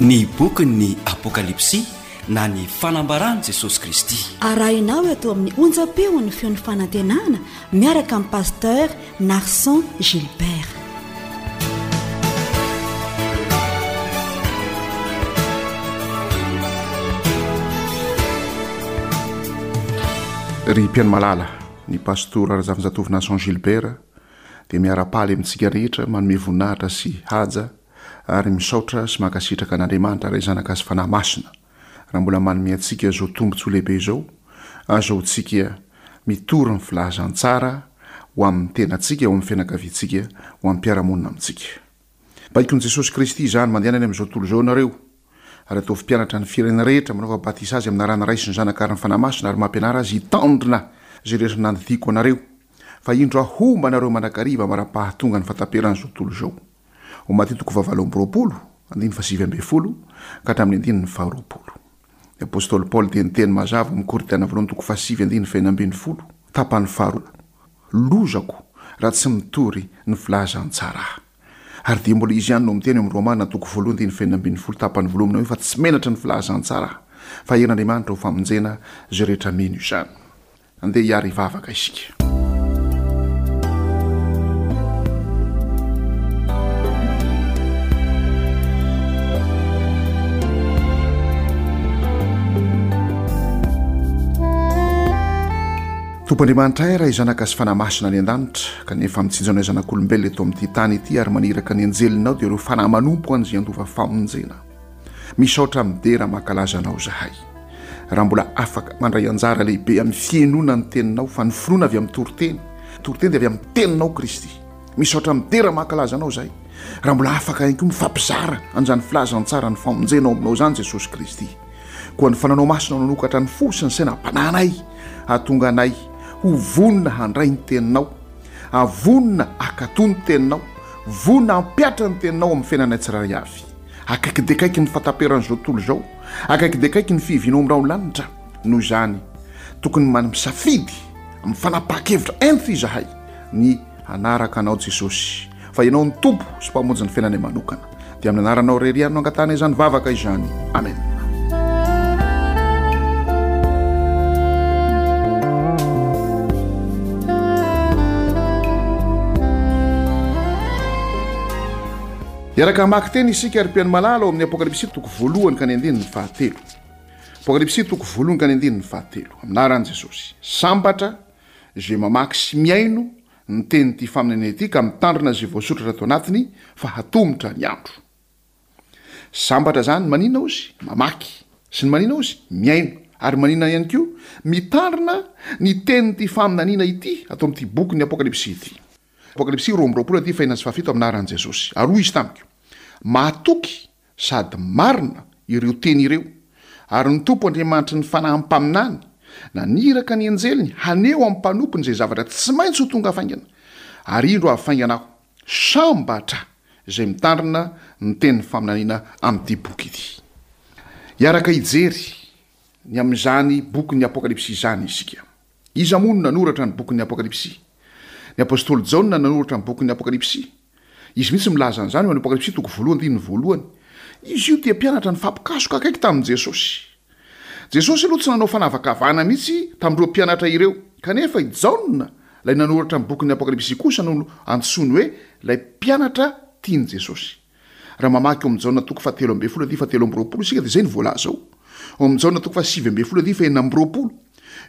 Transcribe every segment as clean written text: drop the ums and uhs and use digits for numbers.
Ny bokin'ny Apokalypsy na ny fanambaran'i Jesosy Kristy. Arahinao eto amin'ny onjam-peon'ny feon'ny fanantenana miaraka amin'i Pasteur Narson Gilbert. Ry mpihaino malala, ny Pastora Razafinjatovo Narson Gilbert dia miara-paly amintsika rehetra manome voninahitra sy haja ary misaotra sy mankasitraka an'Andriamanitra Ray Zanaka sy Fanahy Masina raha mbola manome antsika izao tombontsoa lehibe izao azahoantsika mitory ny filazantsara ho amin'ny tenantsika, ho amin'ny fianakaviantsika, ho amin'ny mpiara-monina amintsika. Baikon'i Jesosy Kristy izany, Mandehana any amin'izao tontolo izao ianareo, ary ataovy mpianatra ny firenena rehetra, manaova batisa azy amin'ny anaran'ny Ray sy ny Zanaka ary ny Fanahy Masina, ary mampianara azy hitandrina izay rehetra nandidiako anareo. Fa indro Aho homba anareo mandrakariva mandra-pahatonga ny fahataperan'izao tontolo izao. Ao Matio toko fahavalo amby 20, andininy fahasivy ambin'ny folo ka hatramin'ny andininy faharoapolo. Ny apostoly Paoly dia niteny mazava ao amin'ny Korintiana voalohany toko fahasivy andininy fahenina ambin'ny folo, tapany faharoa, Lozako raha tsy mitory ny filazantsara aho. Ary dia mbola izy ihany no miteny ao amin'ny Romana toko voalohany andininy fahenina ambin'ny folo tapany voalohany manao hoe fa tsy menatra ny filazantsara aho, fa herin'Andriamanitra ho famonjena izay rehetra mino izany. Andeha hiara hivavaka isika. Tompo Andriamanitray Ray Zanaka sy Fanahy Masina any an-danitra, kanefa mitsinjo anay zanak'olombelona eto amin'ity tany ity ary maniraka ny anjelinao dia ireo fanahy manompo an'izay handova famonjena. Misaotra midera mankalaza anao zahay raha mbola afaka mandray anjara lehibe amin'ny fihenoana ny teninao fa ny finoana avy amin'ny toriteny toriteny dia avy amin'ny teninao Kristy misaotra midera mankalaza anao zahay raha mbola afaka ihany koa mifampizara an'izany filazantsara ny famonjena ao aminao izany Jesosy Kristy koa ny fananao masina nanokatra ny fo sy ny saina am-panahinay hahatonga anay ho vonona handray ny teninao avonona akato ny teninao vonona hampiatra ny teninao amin'ny fiainanay tsirairay avy Akaiky dia akaiky ny fahataperan'izao tontolo izao, akaiky dia akaiky ny fihivianao amin'ny rahon'ny lanitra. Noho izany, tokony misafidy amin'ny fanapahan-kevitra entitra izahay ny hanaraka Anao Jesosy, fa Ianao no Tompo sy Mpamonjy ny fiainanay manokana. Dia amin'ny anaranao irery ihany no angatahanay izany vavaka izany. Amena. Hiaraka hamaky teny isika ry mpihaino malala ao amin'ny Apokalypsy toko voalohany ka ny andininy fahatelo. Apokalypsy toko voalohany ka ny andininy fahatelo. Amin'ny anaran'i Jesosy. Sambatra izay mamaky sy mihaino ny tenin'ity faminaniana ity ka mitandrina izay voasoratra ato anatiny fa hatomotra ny andro. Sambatra izany manina ozy? Mamaky. Sy ny manina ozy? Mihaino. Ary manina ihany koa? Mitandrina ny tenin'ity faminaniana ity ato amin'ity bokin'ny Apokalypsy ity. Apokalypsy 22 andiany fahenina sy fahafito amin'ny anaran'i Jesosy. Ary hoy Izy tamiko, Mahatoky sady marina ireo teny ireo, ary ny Tompo Andriamanitry ny fanahy mpaminany naniraka ny anjeliny haneho amin'ny mpanompony izay zavatra tsy maintsy ho tonga faingana. Ary indro avy faingana Aho. Sambatra izay mitandrina ny tenin'ny faminaniana amin'ity boky ity. Hiaraka hijery ny amin'izany bokin'ny Apokalypsy izany isika. Iza moa no nanoratra ny bokin'ny Apokalypsy? Ny apostoly Jaona no nanoratra ny bokin'ny Apokalypsy. Izy mihitsy milaza an'izany ao amin'ny Apokalypsy toko voalohany andininy voalohany. Izy io dia mpianatra nifampikasoka akaiky tamin'i Jesosy. Jesosy aloha tsy nanao fanavakavahana mihitsy tamin'ireo mpianatra ireo. Kanefa i Jaona, ilay nanoratra ny bokin'ny Apokalypsy kosa no antsoiny hoe ilay mpianatra tian'i Jesosy. Raha mamaky ao amin'ny Jaona toko fahatelo ambin'ny folo andininy fahatelo amby 20 isika dia izay no voalaza ao. Ao amin'ny Jaona toko fahasivy ambin'ny folo andininy fahenina amby 20.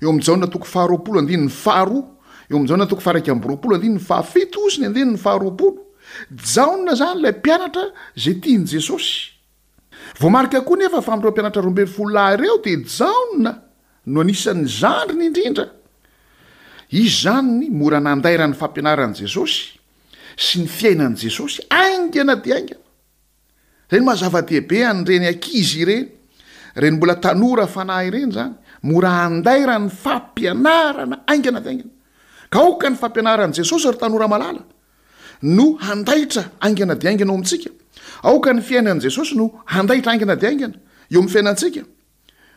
Eo amin'ny Jaona toko faharoapolo andininy faharoa. Eo amin'ny Jaona toko faha-21 andininy fahafito sy ny andininy faharoapolo. Jaona izany ilay mpianatra izay tian'i Jesosy. Voamarika koa nefa fa amin'ireo mpianatra 12 lahy ireo dia Jaona no anisan'ny zandriny indrindra. Izy izany mora nandairan'ny fampianaran'i Jesosy sy ny fiainan'i Jesosy haingana dia haingana. Izay no maha zava-dehibe an'ireny ankizy ireny, ireny mbola tanora fanahy ireny izany, mora andairan'ny fampianarana haingana dia haingana. Ka aoka ny fampianaran'i Jesosy ry tanora malala no handaitra haingana dia haingana ao amintsika. Aoka ny fiainan'i Jesosy no handaitra haingana dia haingana eo amin'ny fiainantsika.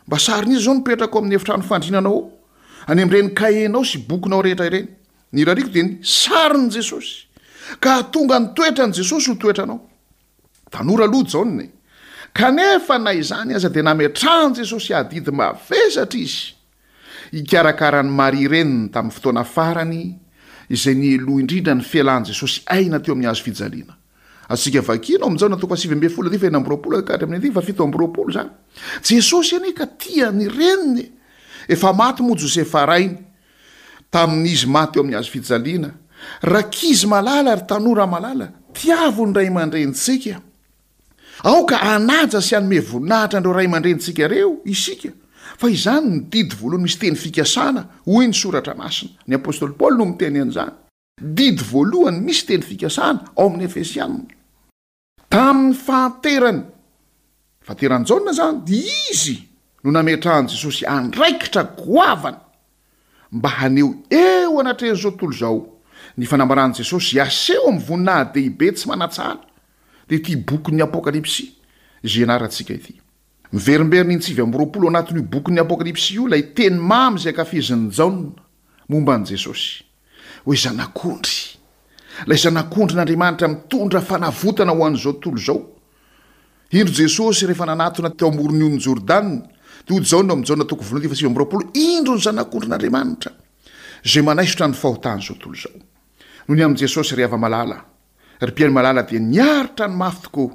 Mba sarin'iza izao no mipetraka ao amin'ny efitrano fandrinanao ao, any amin'ireny kahienao sy bokinao rehetra ireny? Ny irariako dia ny sarin'i Jesosy, ka hahatonga ny toetran'i Jesosy ho toetranao. Tanora aloha Jaona e! Kanefa na izany aza dia nametrahan'i Jesosy adidy mavesatra izy hikarakara an'i Maria reniny tamin'ny fotoana farany izay niheloha indrindra ny fialan'i Jesosy aina teo amin'ny hazo fijaliana. Azontsika vakiana ao amin'ny Jaona toko faha-19 andininy faha-26 ka hatramin'ny andininy faha-27 izany. Jesosy anie ka tia ny reniny e! Efa maty moa Josefa rainy tamin'izy maty teo amin'ny hazo fijaliana. Rankizy malala ry tanora malala, tiavo ny ray aman-drenintsika. Aoka hanaja sy hanome voninahitra an'ireo ray aman-drenintsika ireo isika, fa izany no didy voalohany misy teny fikasana, hoy ny Soratra Masina. Ny apostoly Paoly no miteny an'izany. Didy voalohany misy teny fikasana ao amin'ny Efesiana. Tamin'ny fahanterany, fahanteran'i Jaona izany, dia izy no nametrahan'i Jesosy andraikitra goavana mba haneho eo anatrehan'izao tontolo izao ny fanambaran'i Jesosy aseho amin'ny voninahi-dehibe tsy manan-tsahala, dia ity bokin'ny Apokalypsy izay ianarantsika ity. Miverimberina intsivy 29 anatin'io bokin'ny Apokalypsy io ilay teny mamy izay ankafizin'i Jaona momba an'i Jesosy, hoe Zanak'ondry, ilay Zanak'ondrin'Andriamanitra mitondra fanavotana ho an'izao tontolo izao. Indro Jesosy rehefa nanatona teo amoron'ny onin'i Jordana, dia hoy Jaona ao amin'ny Jaona toko voalohany andininy faha-29, Indro ny Zanak'ondrin'Andriamanitra, izay manaisotra ny fahotan'izao tontolo izao. Noho ny amin'i Jesosy, ry hava-malala, ry mpihaino malala dia niaritra ny mafy tokoa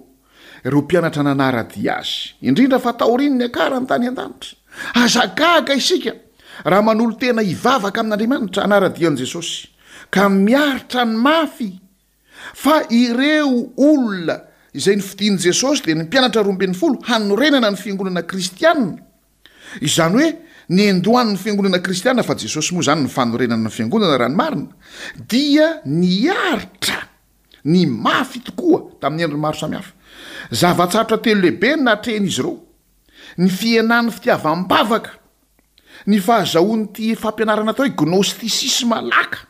ireo mpianatra nanara-dia azy, indrindra fa taorian'ny niakarany tany an-danitra. Aza gaga isika raha manolo-tena hivavaka amin'Andriamanitra hanara-dia an'i Jesosy, ka miaritra ny mafy, fa ireo olona izay nofidin'i Jesosy dia ny mpianatra 12 hanorenana ny fiangonana kristiana. Izany hoe niandohan'ny fiangonana kristiana, fa Jesosy moa izany ny fanorenana ny fiangonana raha ny marina, dia niaritra ny mafy tokoa tamin'ny endriny maro samihafa. Zava-tsarotra telo lehibe no natrehin'izy ireo, ny fihenan'ny fitiavam-bavaka, ny fahazahoan'ity fampianarana atao hoe gnostisisma laka,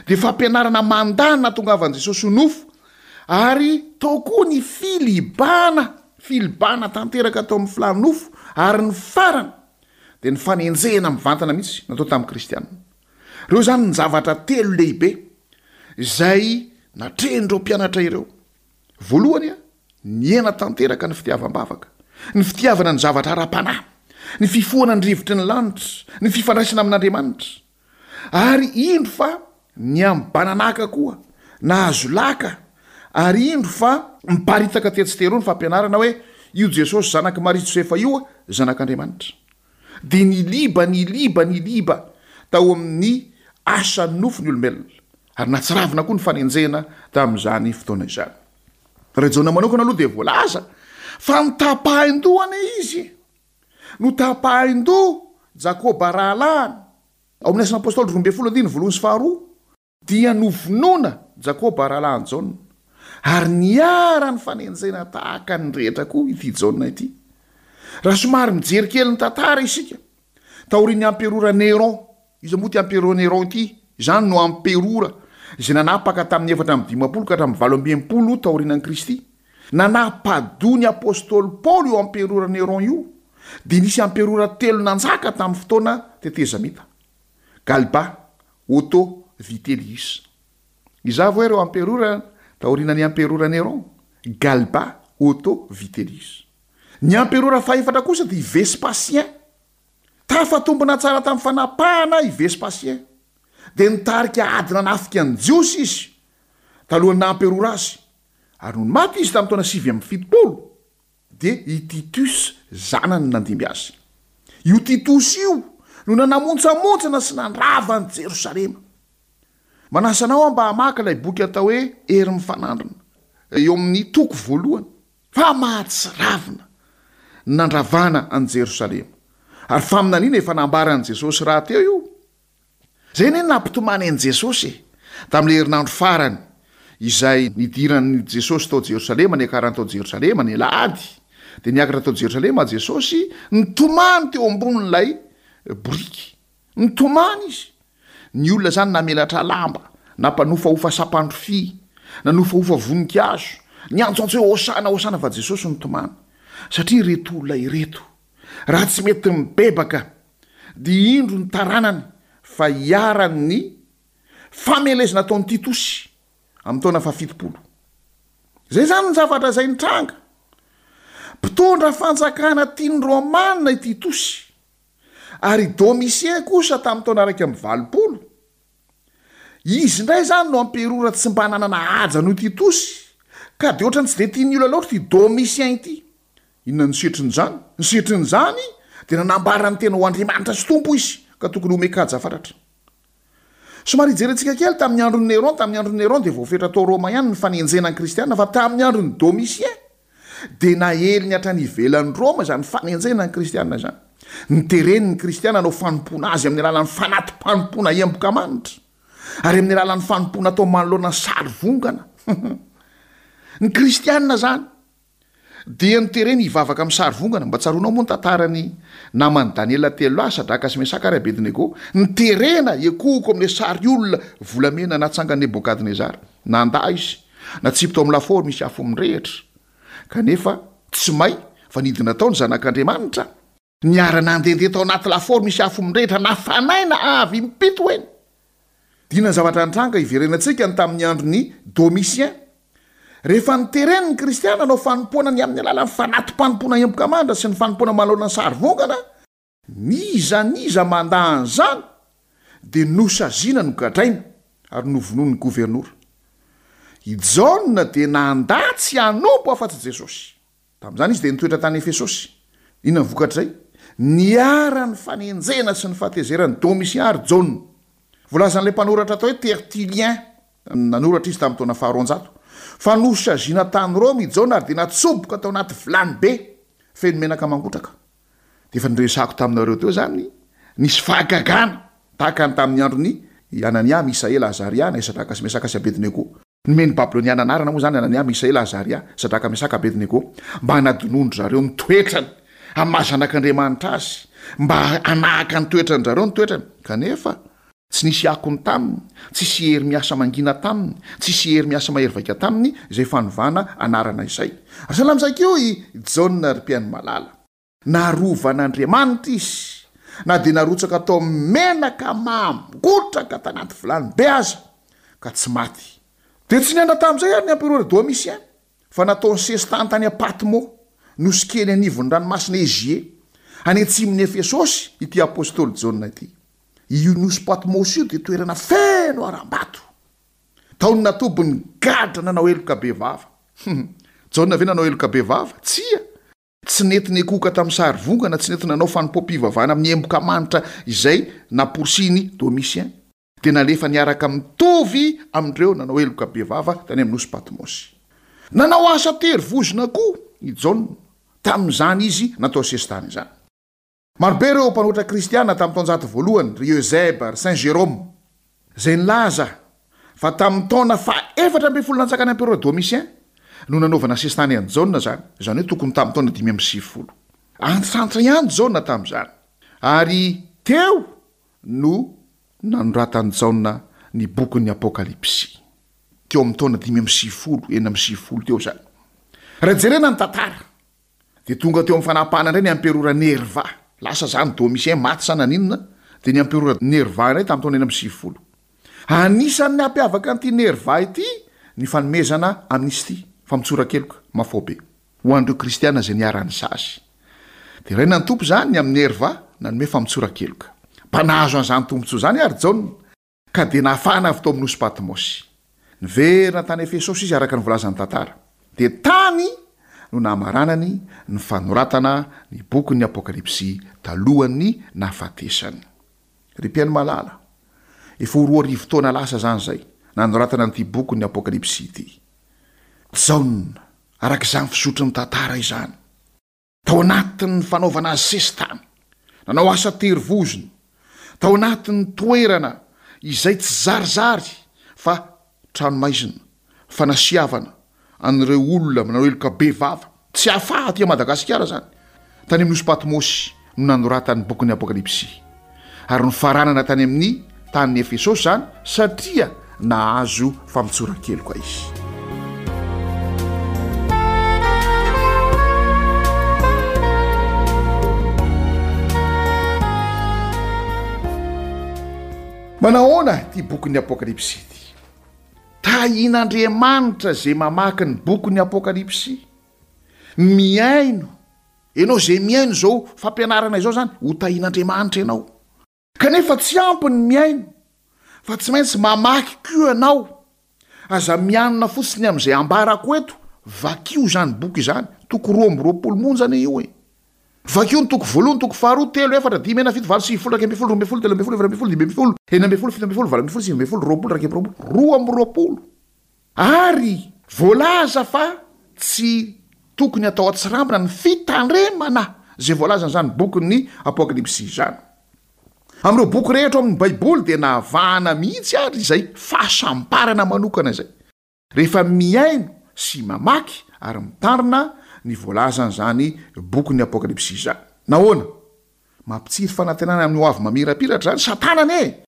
dia fampianarana mandà ny nahatongavan'i Jesosy ho nofo, ary tao koa ny filibana, filibana tanteraka tao amin'ny filàn'ny nofo, ary ny farany dia ny fanenjehana mivantana mihitsy natao tamin'ny kristiana. Ireo izany ny zavatra telo lehibe izay natrehin'ireo mpianatra ireo. Voalohany, nihena tanteraka ny fitiavam-bavaka, ny fitiavana ny zavatra ara-panahy, ny fifohana ny rivotry ny lanitra, ny fifandraisana amin'Andriamanitra. Ary indro fa nihambananaka koa, nahazo laka, ary indro fa miparitaka tetsy teroa ny fampianarana hoe io Jesosy zanak'i Maria sy Josefa io zanak'Andriamanitra. Dia niliba, niliba, niliba tao amin'ny asan'ny nofo ny olombelona, ary nahatsiravina koa ny fanenjehana tamin'izany fotoana izany. Raha i Jaona manokana aloha dia voalaza fa notapahin-doha anie izy. Notapahin-doha Jakoba rahalahiny. Ao amin'ny Asan'ny Apostoly 12 andininy voalohany sy faharoa, dia novonoina Jakoba rahalahin'i Jaona, ary niharan'ny fanenjehana tahaka ny rehetra koa ity Jaona ity. Raha somary mijery kely ny tantara isika, taorian'ny amperora Néron, iza moa ity amperora Néron ity? Izany no amperora izay nanapaka tamin'ny 54 ka hatramin'ny 68 taorianan'i Kristy. Nanapa-doha ny apostoly Paoly io amperora Néron io, dia nisy amperora telo nanjaka tamin'ny fotoana tetezamita, Galba, Otto, Vitellius. Iza avy hoe ireo amperora taorianan'ny amperora Néron? Galba, Otto, Vitellius. Ny amperora fahefatra kosa dia i Vespasien. Tafatombina tsara tamin'ny fanapahana i Vespasien. Dia nitarika ady nanafika ny Jiosy izy, talohan'ny naha amperora azy. Ary nony maty izy tamin'ny taona 79, dia i Titus zanany no nandimby azy. Io Titosy io no nanamontsamontsana sy nandrava an'i Jerosalema. Manasa anao aho mba hamaky ilay boky atao hoe Hery Mifanandrina, eo amin'ny toko voalohany. Fa mahatsiravina ny nandravana an'i Jerosalema. Ary faminaniana efa nambaran'i Jesosy rahateo io. Izay anie no nampitomany an'i Jesosy e! Tamin'ilay herinandro farany izay nidiran'i Jesosy tao Jerosalema, niakarany tao Jerosalema, ny alahady, dia niakatra tao Jerosalema Jesosy, nitomany teo ambonin'ilay boriky. Nitomany izy. Ny olona izany namelatra lamba, nampanofahofa sampandrofia, nanofahofa voninkazo, niantsoantso hoe Hosana, Hosana, fa Jesosy nitomany. Satria ireto olona ireto, raha tsy mety mibebaka, dia indro ny taranany fa iharan'ny famelezana ataon'i Titosy amin'ny taona fahafitopolo. Izay izany ny zavatra izay nitranga. Mpitondra fanjakana tian'ny Romana i Titosy, ary i Domitien kosa tamin'ny taona 81. Izy indray izany no amperora tsy mba nanana haja noho i Titosy, ka dia ohatran'ny tsy dia tian'ny olona loatra ity Domitien ity. Inona no setrin'izany? Ny setrin'izany dia nanambara ny tena ho Andriamanitra sy Tompo izy, ka tokony homen-kaja fatratra. Somary hijerentsika kely tamin'ny andron'i Néron, tamin'ny andron'i Néron dia voafetra tao Roma ihany ny fanenjehana ny kristiana, fa tamin'ny andron'i Domitien dia naeliny hatrany ivelan'i Roma izany fanenjehana ny kristiana izany. Notereny ny kristiana hanao fanompoana azy amin'ny alalan'ny fanati-panompoana emboka manitra, ary amin'ny alalan'ny fanompoana atao manoloana ny sary vongana. Ny kristiana izany Dia notereny hivavaka amin'ny sary vongana. Mba tsaroanao moa ny tantaran'ny naman'i Daniela telolahy, Sadraka sy Mesaka ary Abednego? Noterena hiekohoko amin'ilay sary olona volamena natsangan'i Nebokadnezara. Nandà izy. Natsipy tao amin'ny lafaoro misy afo mirehitra. Kanefa tsy may fa nidina tao ny Zanak'Andriamanitra. Niara-nandehandeha tao anaty lafaoro misy afo mirehitra nafanaina avy impito eny. Dina ny zavatra nitranga hiverenantsika ny tamin'ny andron'i Domitien. Rehefa notereny ny Kristiana hanao fanompoana ny amin'ny alalan'ny fanati-panompoana emboka mandra sy ny fanompoana manoloana ny sary vongana, n'iza n'iza mandà an'izany dia nosaziana nogadraina ary novonoin'ny governora. I Jaona dia nandà tsy hanompo afa-tsy Jesosy. Tamin'izany izy dia nitoetra tany Efesosy. Inona ny vokatr'izay? Niharan'ny fanenjehana sy ny fahatezeran'i Domitien ary Jaona. Voalazan'ilay mpanoratra atao hoe Tertullien, nanoratra izy tamin'ny taona faharoanjato, fa nosaziana tany Roma i Jaona ary dia natsoboka tao anaty vilany be feno menaka mangotraka. Dia efa niresahako taminareo teo izany, nisy fahagagana tahaka ny tamin'ny andron'i Anania, Misaela, Azaria, na i Sadraka sy Mesaka sy Abednego. Nomen'ny Babyloniana anarana moa izany Anania, Misaela, Azaria, Sadraka, Mesaka, Abednego, mba hanadinoan-dry zareo ny toetrany amin'ny maha zanak'Andriamanitra azy, mba hanahaka ny toetran-dry zareo ny toetrany. Kanefa, tsy nisy akony taminy, tsisy hery miasa mangina taminy, tsisy hery miasa mahery vaika taminy izay fanovana anarana izay. Ary sahala amin'izay koa i Jaona ry mpihaino malala. Narovan'Andriamanitra izy, na dia narotsaka tao amin'ny menaka mangotraka tanaty vilany be aza, ka tsy maty. Dia tsy niandra tamin'izay àry ny emperora Domitien, fa nataony sesitany tany Patmo, nosy kely anivon'ny ranomasina Égée, any atsimon'i Efesosy, ity apostoly Jaona ity. Io nosy Patmosy io dia toerana feno harambato. Tao no natobin'ny gadra nanao heloka bevava. Jaona ve nanao heloka bevava? Tsia! Tsy nety nikohoka tamin'ny sary vongana, tsy nety nanao fanompoam-pivavahana amin'ny emboka manitra izay namporisihin'i Domitien, dia nalefa niaraka mitovy amin'ireo nanao heloka bevava tany amin'ny nosy Patmosy. Nanao asa tery vozona koa i Jaona, tamin'izany izy natao sesitany izany. Marobe ireo mpanoratra kristiana tamin'ny taonjato voalohany, ry Eusèbe, ry Saint Jérôme, izay nilaza fa tamin'ny taona faha-efatra ambinifolo nanjakan'ny emperora Domitien no nanaovana sesitany an'i Jaona izany, izany hoe tokony tamin'ny taona 95. Antitrantitra ihany Jaona tamin'izany, ary teo no nanoratan'i Jaona ny bokin'ny Apokalypsy. Teo amin'ny taona 95, 96 teo izany. Raha jerena ny tantara, Dia tonga teo amin'ny fanapahana indray ny amperora Nerva. Lasa izany Domitien, maty sa naninona, dia ny amperora Nerva indray tamin'ny taona 96. Anisan'ny nampiavaka an'ity Nerva ity ny fanomezana amnistie, famotsoran-keloka, mafaobe, ho an'ireo kristiana izay niharan'ny sazy. Deraina ny Tompo izany ny amin'i Nerva nanome famotsoran-keloka. Mba nahazo an'izany tombontsoa izany àry Jaona. Ka dia nafahana avy tao amin'ny nosy Patmosy. Niverina tany Efesosy izy araka ny voalazan'ny tantara. Dia tany no namaranany ny fanoratana ny bokin'ny Apokalypsy talohan'ny nahafatesany. Ry mpihaino malala, efa ho 2000 taona lasa izany izay nanoratana an'ity bokin'ny Apokalypsy ity. Jaona, araka izany fizotry ny tantara izany. Tao anatin'ny fanaovana azy sesitany, nanao asa terivozona, tao anatin'ny toerana izay tsy zarizary fa tranomaizina, fanasiavana an'ireo olona manao heloka bevava, tsy hafaha aty Madagasikara izany, tany amin'ny Nosy Patmosy no nanoratany ny bokin'ny Apokalypsy, ary nofaranana tany amin'ny tanin'i Efesosy izany satria nahazo famotsoran-keloka izy. Manahoana ity bokin'ny Apokalypsy ity? Tahin'Andriamanitra izay mamaky ny bokin'ny Apokalypsy. Mihaino. Ianao izay mihaino izao fampianarana izao izany, ho tahian'Andriamanitra ianao. Kanefa tsy ampy ny mihaino, fa tsy maintsy mamaky koa ianao. Aza mianina fotsiny amin'izay ambarako eto, vakio izany boky izany, toko 22 monja anie io e. Vakio ny toko voalohany, toko faharoa, telo, efatra, dimy, enina, fito, valo, sivifolo, 11, 12, 13, 14, 15, 16, 17, 18, 19, 20, 21, 22. Ary voalaza fa tsy tokony atao an-tsirambina ny fitandremana izay voalazan'izany bokin'ny Apokalypsy izany. Amin'ireo boky rehetra ao amin'ny Baiboly dia nahavahana mihitsy ary izay fahasambarana manokana izay, rehefa mihaino sy mamaky ary mitandrina ny voalazan'izany bokin'ny Apokalypsy izany. Nahoana? Mampitsiry fanantenana amin'ny hoavy mamirapiratra izany. Satana anie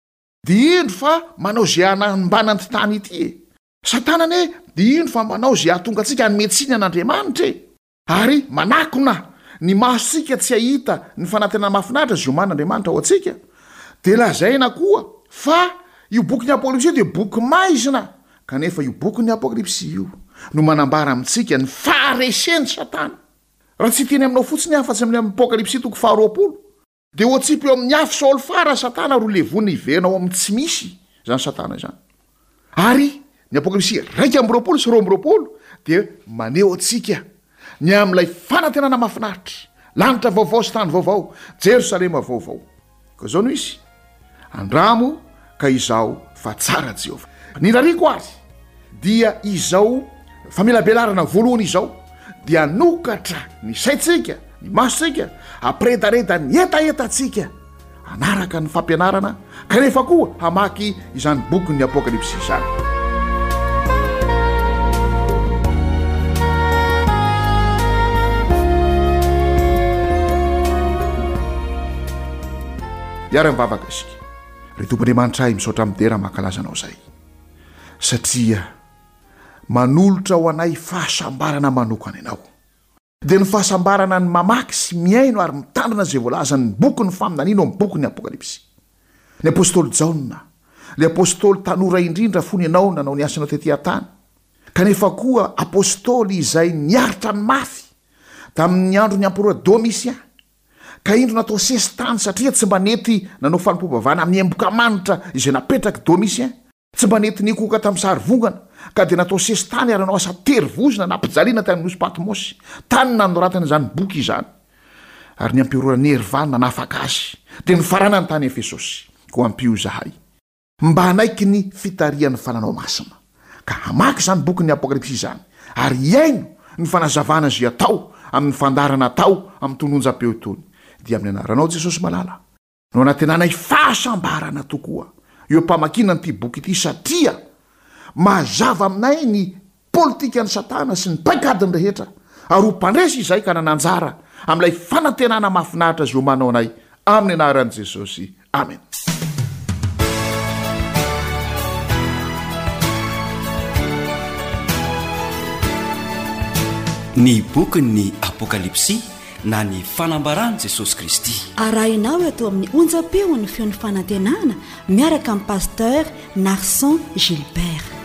Dia indro fa manao izay hanambana an'ity tany ity e! Satana anie dia indro fa manao izay hahatonga antsika hanome tsiny an'Andriamanitra e! Ary manakona ny masontsika tsy hahita ny fanantenana mahafinaritra izay omanin'Andriamanitra ho antsika. Dia lazaina koa fa io bokin'ny Apokalypsy io dia boky maizina, kanefa io bokin'ny Apokalypsy io no manambara amintsika ny faharesen'i Satana. Raha tsy hiteny aminao fotsiny aho afa-tsy amin'ny Apokalypsy toko faharoapolo, Dia ho atsipy eo amin'ny afo solfara Satana ary ho levonina hiverina ao amin'ny tsy misy izany Satana izany. Ary ny Apokalypsy 21 sy 22 dia maneho antsika ny amin'ilay fanantenana mahafinaritra, lanitra vaovao sy tany vaovao, Jerosalema vaovao. Koa izao no izy, Andramo ka izaho fa tsara Jehovah. Ny rariko ary dia izao famelabelarana voalohany izao dia hanokatra ny saintsika, ny masontsika, hampiredareda ny hetahetantsika hanaraka ny fampianarana kanefa koa hamaky izany bokin'ny Apokalypsy izany. Hiara-mivavaka isika. Ry Tompo Andriamanitra ahy, misaotra midera mankalaza Anao izay, satria manolotra ho anay fahasambarana manokana Ianao. Dia ny fahasambarana ny mamaky sy mihaino ary mitandrina izay voalazan'ny bokin'ny faminaniana ao amin'ny bokin'ny Apokalypsy. Ny apostoly Jaona, ilay apostoly tanora indrindra fony ianao nanao ny asanao tety an-tany, kanefa koa apostoly izay niaritra ny mafy tamin'ny andron'ny emperora Domitien, Ka indro natao sesitany satria tsy mba nety nanao fanompoam-pivavahana amin'ny emboka manitra izay napetrak'i Domitien, tsy mba nety nikohoka tamin'ny sary vongana, ka dia natao sesitany ary nanao asa terivozona nampijaliana tany amin'ny nosy Patmosy, tany nanoratana izany boky izany. Ary ny amperora Nerva nanafaka azy, dia nifaranany tany Efesosy. Koa ampio izahay. Mba hanaiky ny fitarihan'ny Fananao Masina, ka hamaky izany bokin'ny Apokalypsy izany, ary hihaino ny fanazavana izay atao amin'ny fandaharana atao amin'itony onjam-peo itony, dia amin'ny anaranao Jesosy malala, no anantenanay fahasambarana tokoa eo am-pamakiana an'ity boky ity, satria mazava aminay ny politikan'i Satana sy ny paikadiny rehetra, ary ho mpandresy izahay ka hanana anjara amin'ilay fanantenana mahafinaritra izay omanao anay, amin'ny anaran'i Jesosy. Amena. Ny bokin'ny Apokalypsy na ny fanambaran'i Jesosy Kristy. Arahinao eto amin'ny onjam-peon'ny feon'ny fanantenana miaraka amin'i Pasteur Narson Gilbert.